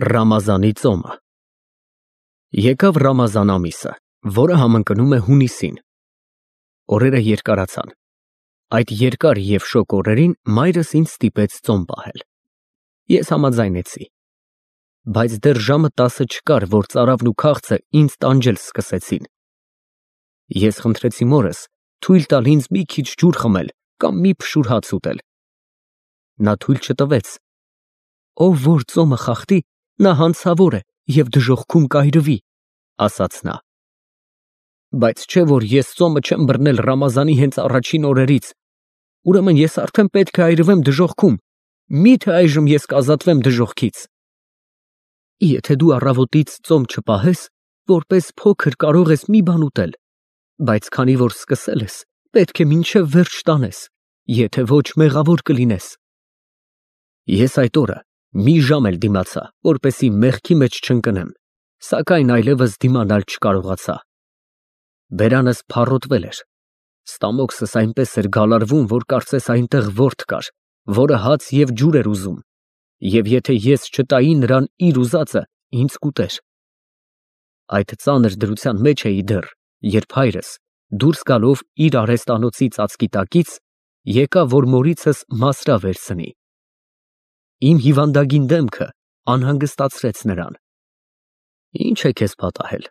Ռամազանի ծոմը։ Եկավ Ռամազան ամիսը, որը համընկնում է հունիսին։ Օրերը երկարացան։ Այդ երկար և շոգ օրերին մայրս ինձ ստիպեց ծոմ պահել։ Ես համաձայնեցի։ Բայց դեռ ժամը 10 չկար, որ ծարավն ու քաղցը ինձ տանջել սկսեցին։ Ես խնդրեցի մորս թույլ տալ ինձ մի քիչ ջուր խմել կամ մի փշուր հաց ուտել։ Նա թույլ չտվեց։ Ով որ ծոմը խախտի, նա հանցավոր է և դժոխքում կայրվի, ասաց նա։ Բայց չէ որ ես ծոմը չեմ բռնել Ռամազանի հենց առաջին օրերից, ուրեմն ես արդեն պետք է այրվեմ դժոխքում, մի՞թե այժմ ես կազատվեմ դժոխքից։ Եթե դու առավոտից ծոմ չպահես, որպես փոքր կարող ես մի բան ուտել, բայց քանի որ սկսել ես, պետք է մինչև վերջ տանես, եթե ոչ մեղավոր կլինես։ Ես այդ օրը մի ժամ էլ դիմացա, որպեսզի մեղքի մեջ չընկնեմ, սակայն այլևս դիմանալ չկարողացա։ Բերանս փառոտվել էր, ստամոքսս այնպես էր գալարվում, որ կարծես այնտեղ ворդ կար, որը հաց և ջուր էր ուզում, և եթե ես չտայի նրան իր ուզածը, ինձ կուտեր։ Այդ ծանր դրության մեջ էի դեռ, երբ հայրս, դուրս գալով իր արհեստանոցի ծածկի տակից, եկավ, որ մորիցս մասրա վերցնի։ Իմ հիվանդագին դեմքը անհանգստացրեց նրան։ Ի՞նչ է քեզ պատահել,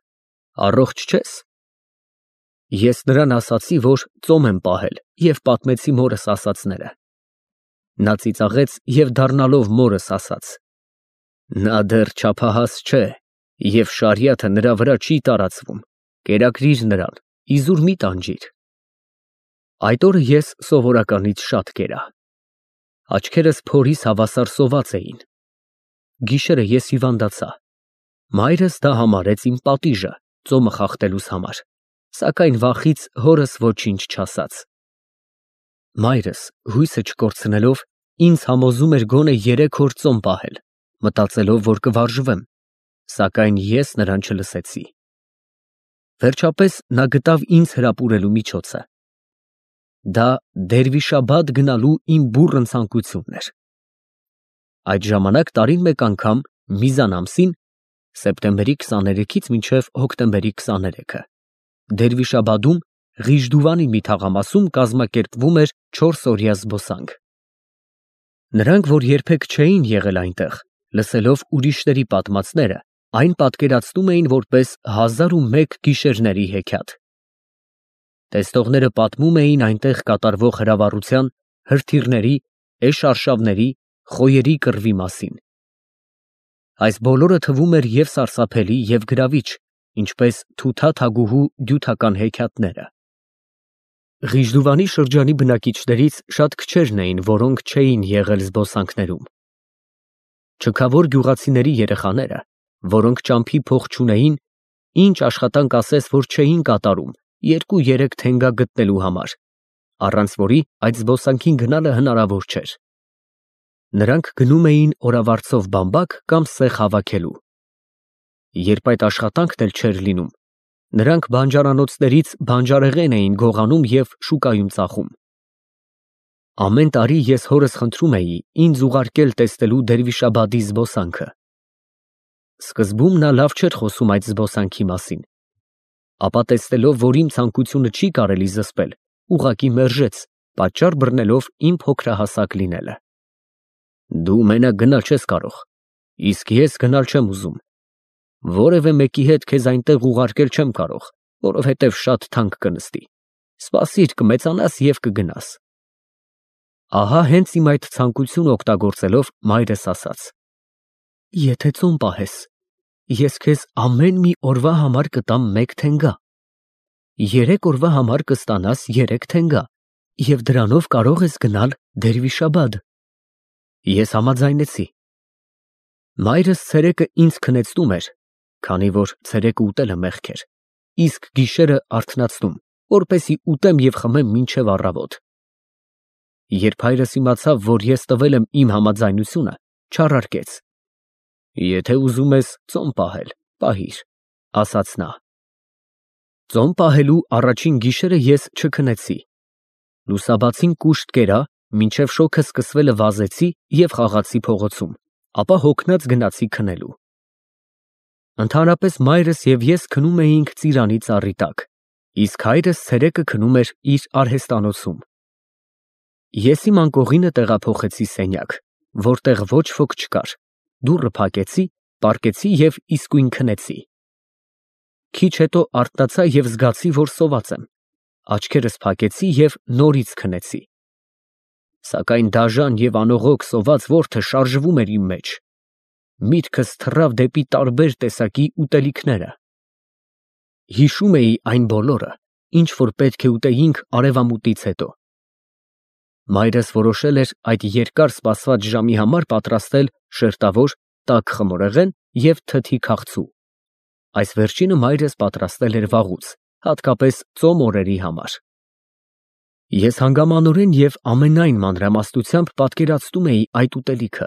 առողջ չես։ Ես նրան ասացի, որ ծոմ եմ պահել և պատմեցի մորս ասածները։ Նա ծիծաղեց և դառնալով մորս ասաց. Նա դեռ չափահաս չէ և շարիաթը նրա վրա չի տարածվում, կերակրիր նրան, իզուր մի տանջիր։ Այդ օրը ես սովորականից շատ կերա։ Աչքերս փորիս հավասար սոված էին։ Գիշերը ես հիվանդացա։ Մայրս դա համարեց իմ պատիժը ծոմը խախտելուս համար, սակայն վախից հորս ոչինչ չասաց։ Մայրս, հույսը չկորցնելով, ինձ համոզում էր գոնե 3 օր ծոմ պահել, մտածելով, որ կվարժվեմ, սակայն ես նրան չլսեցի։ Վերջապես նա գտավ ինձ հրապուրելու միջոցը։ Դա Դերվիշաբադ գնալու իմ բուռն ցանկությունն էր։ Այդ ժամանակ տարին մեկ անգամ Միզան ամսին, սեպտեմբերի 23-ից մինչև հոկտեմբերի 23-ը, Դերվիշաբադում Ղիժդուվանի մի թաղամասում կազմակերպվում էր 4-օրյա զբոսանք։ Նրանք, որ երբեք չէին եղել այնտեղ, լսելով ուրիշների պատմածները, այն պատկերացնում էին որպես 1001 գիշերների հեքիաթ։ Տեսնողները պատմում էին այնտեղ կատարվող հրավառության, հրթիռների, էշ խոյերի կռվի մասին։ Այս բոլորը թվում էր և սարսափելի, և գրավիչ, ինչպես Թութա թագուհու դյութական հեքիաթները։ Ղիժդուվանի շրջանի բնակիչներից շատ քչերն էին, որոնք չէին եղել զբոսանքներում։ Չքավոր գյուղացիների երեխաները, որոնք ճամփի փող չունեին, ինչ աշխատանք ասես, որ չէին կատարում 2-3 թենգա գտնելու համար, առանց որի այդ զբոսանքին գնալը հնարավոր չէր։ Նրանք գնում էին օրավարձով բամբակ կամ սեխ հավաքելու։ Երբ այդ աշխատանքն էլ չէր լինում, նրանք բանջարանոցներից բանջարեղեն էին գողանում և շուկայում ծախում։ Ամեն տարի ես հորս խնդրում էի ինձ ուղարկել տեսնելու Դերվիշաբադի զբոսանքը։ Սկզբում նա լավ չէր խոսում այդ զբոսանքի մասին, ապա տեսնելով, որ իմ ցանկությունը չի կարելի զսպել, ուղղակի մերժեց, պատճառ բռնելով իմ փոքրահասակ լինելը։ Դու մենակ գնալ չես կարող, իսկ ես գնալ չեմ ուզում։ Որևէ մեկի հետ քեզ այնտեղ ուղարկել չեմ կարող, որովհետև շատ թանկ կնստի։ Սպասիր, կմեծանաս և կգնաս։ Ահա հենց իմ այդ ցանկությունը օգտագործելով մայրս ասաց. Եթե ծոմ պահես, ես քեզ ամեն մի օրվա համար կտամ 1 թենգա, 3 օրվա համար կստանաս 3 թենգա, և դրանով կարող ես գնալ Դերվիշաբադ։ Ես համաձայնեցի։ Մայրս ցերեկը ինձ քնեցնում էր, քանի որ ցերեկը ուտելը մեղք էր, իսկ գիշերը արթնացնում, որպեսզի ուտեմ և խմեմ մինչև առավոտ։ Երբ հայրս իմացավ, որ ես տվել եմ իմ համաձայնությունը, չառարկեց։ Եթե ուզում ես ծոմ պահել, պահիր, ասաց նա։ Ծոմ պահելու առաջին գիշերը ես չքնեցի։ Լուսաբացին կուշտ կերա, մինչև շոգը սկսվելը վազեցի և խաղացի փողոցում, ապա հոգնած գնացի քնելու։ Ընդհանրապես մայրս և ես քնում էինք ծիրանի ծառի տակ, իսկ հայրս ցերեկը քնում էր իր արհեստանոցում։ Ես իմ անկողինը տեղափոխեցի սենյակ, որտեղ ոչ ոք չկար, դուռը փակեցի, պառկեցի և իսկույն քնեցի։ Քիչ հետո արթնացա և զգացի, որ սոված եմ, աչքերս փակեցի և նորից քնեցի։ Սակայն դաժան և անողոք սոված որդը շարժվում էր իմ մեջ։ Միտքս թռավ դեպի տարբեր տեսակի ուտելիքները։ Հիշում էի այն բոլորը, ինչ որ պետք է ուտեինք արևամուտից հետո։ Մայրս որոշել էր այդ երկար սպասված ժամի համար պատրաստել շերտավոր, տաք խմորեղեն և թթի քաղցու։ Այս վերջինը մայրս պատրաստել էր վաղուց, հատկապես ծոմ օրերի համար։ Ես հանգամանորեն և ամենայն մանրամասնությամբ պատկերացնում էի այդ ուտելիքը։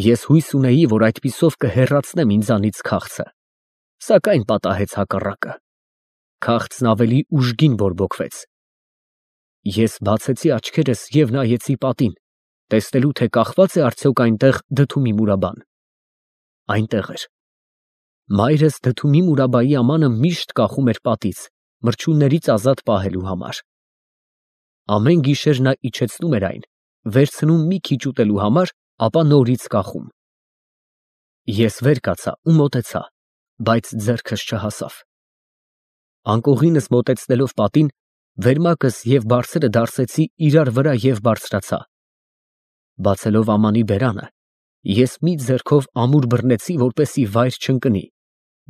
Ես հույս ունեի, որ այդպիսով կհեռացնեմ ինձանից քաղցը, սակայն պատահեց հակառակը. քաղցն ավելի ուժգին բորբոքվեց։ Ես բացեցի աչքերս և նայեցի պատին, տեսնելու, թե կախվա՞ծ է արդյոք այնտեղ դդումի մուրաբան։ Այնտեղ էր։ Մայրս դդումի մուրաբայի ամանը միշտ կախում էր պատից, մրջյուններից ազատ պահելու համար։ Ամեն գիշեր նա իջեցնում էր այն, վերցնում մի քիչ ուտելու համար, ապա նորից կախում։ Ես վեր կացա ու մոտեցա, բայց ձեռքս չհասավ։ Անկողինս մոտեցնելով պատին, վերմակս և բարձրը դարսեցի իրար վրա և բարձրացա։ Բացելով ամանի բերանը, ես մի ձեռքով ամուր բռնեցի, որպեսզի վայր չընկնի,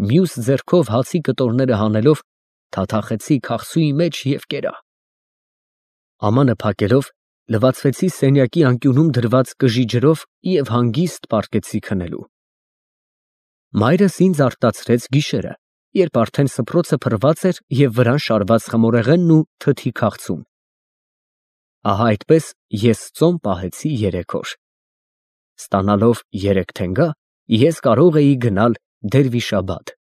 մյուս ձեռքով հացի կտորները հանելով, թաթախեցի քաղցուի մեջ և կերա։ Ամանը փակելով, լվացվեցի սենյակի անկյունում դրված կժի ջրով և հանգիստ պառկեցի քնելու։ Մայրս ինձ արտացրեց գիշերը, երբ արդեն սփռոցը փռված էր և վրան շարված խմորեղենն ու թթի քաղցուն։ Ահա այդպես ես ծոմ պահեցի 3 օր։ Ստանալով 3 թենգա, ես կարող էի գնալ Դերվիշաբադ։